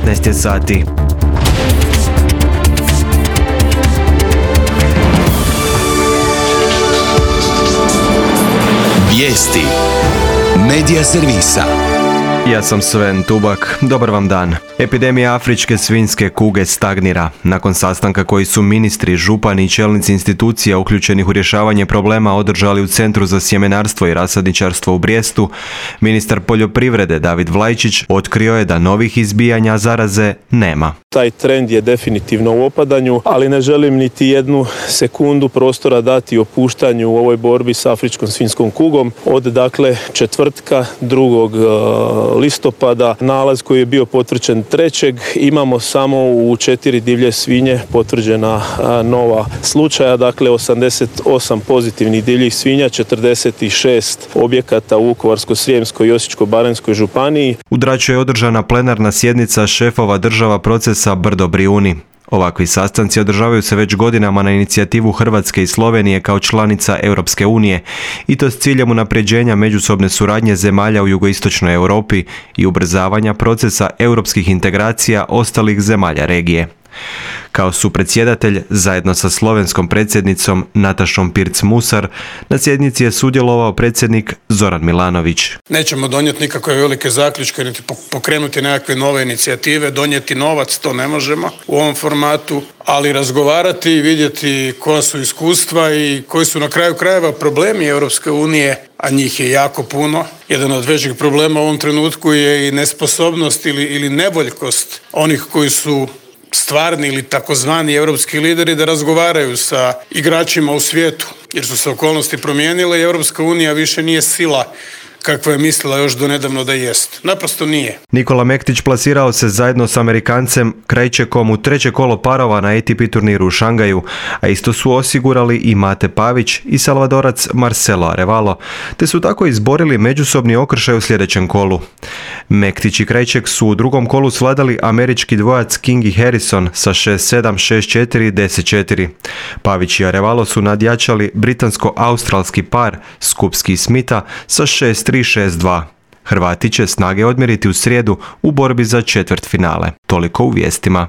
15 je sati. Vijesti Medija servisa. Ja sam Sven Tubak, dobar vam dan. Epidemija afričke svinjske kuge stagnira. Nakon sastanka koji su ministri, župani i čelnici institucija uključenih u rješavanje problema održali u Centru za sjemenarstvo i rasadničarstvo u Brijestu, ministar poljoprivrede David Vlajčić otkrio je da novih izbijanja zaraze nema. Taj trend je definitivno u opadanju, ali ne želim niti jednu sekundu prostora dati opuštanju u ovoj borbi s afričkom svinjskom kugom. Od četvrtka 2. listopada nalaz koji je bio potvrđen 3. imamo samo u 4 divlje svinje potvrđena nova slučaja, 88 pozitivnih divljih svinja, 46 objekata u Vukovarsko-srijemskoj i Osječko-baranjskoj županiji. U Draču je održana plenarna sjednica šefova država procesa Brdo Brijuni. Ovakvi sastanci održavaju se već godinama na inicijativu Hrvatske i Slovenije kao članica Europske unije i to s ciljem unapređenja međusobne suradnje zemalja u jugoistočnoj Europi i ubrzavanja procesa europskih integracija ostalih zemalja regije. Kao supredsjedatelj, zajedno sa slovenskom predsjednicom Natašom Pirc-Musar, na sjednici je sudjelovao predsjednik Zoran Milanović. Nećemo donijeti nikakve velike zaključke, niti pokrenuti nekakve nove inicijative, donijeti novac, to ne možemo u ovom formatu, ali razgovarati i vidjeti koja su iskustva i koji su na kraju krajeva problemi Europske unije, a njih je jako puno. Jedan od većih problema u ovom trenutku je i nesposobnost ili nevoljkost onih koji su stvarni ili takozvani europski lideri da razgovaraju sa igračima u svijetu, jer su se okolnosti promijenile i Europska unija više nije sila kakva je mislila još do nedavno da jest. Naprosto nije. Nikola Mektić plasirao se zajedno s Amerikancem Krajčekom u 3. kolo parova na ATP turniru u Šangaju, a isto su osigurali i Mate Pavić i Salvadorac Marcelo Arevalo, te su tako izborili međusobni okršaj u sljedećem kolu. Mektić i Krajček su u drugom kolu svladali američki dvojac King i Harrison sa 6-7, 6-4 i 10-4. Pavić i Arevalo su nadjačali britansko-australski par Skupski i Smitha sa 6-3, 6-2. Hrvati će snage odmjeriti u srijedu u borbi za četvrtfinale. Toliko u vijestima.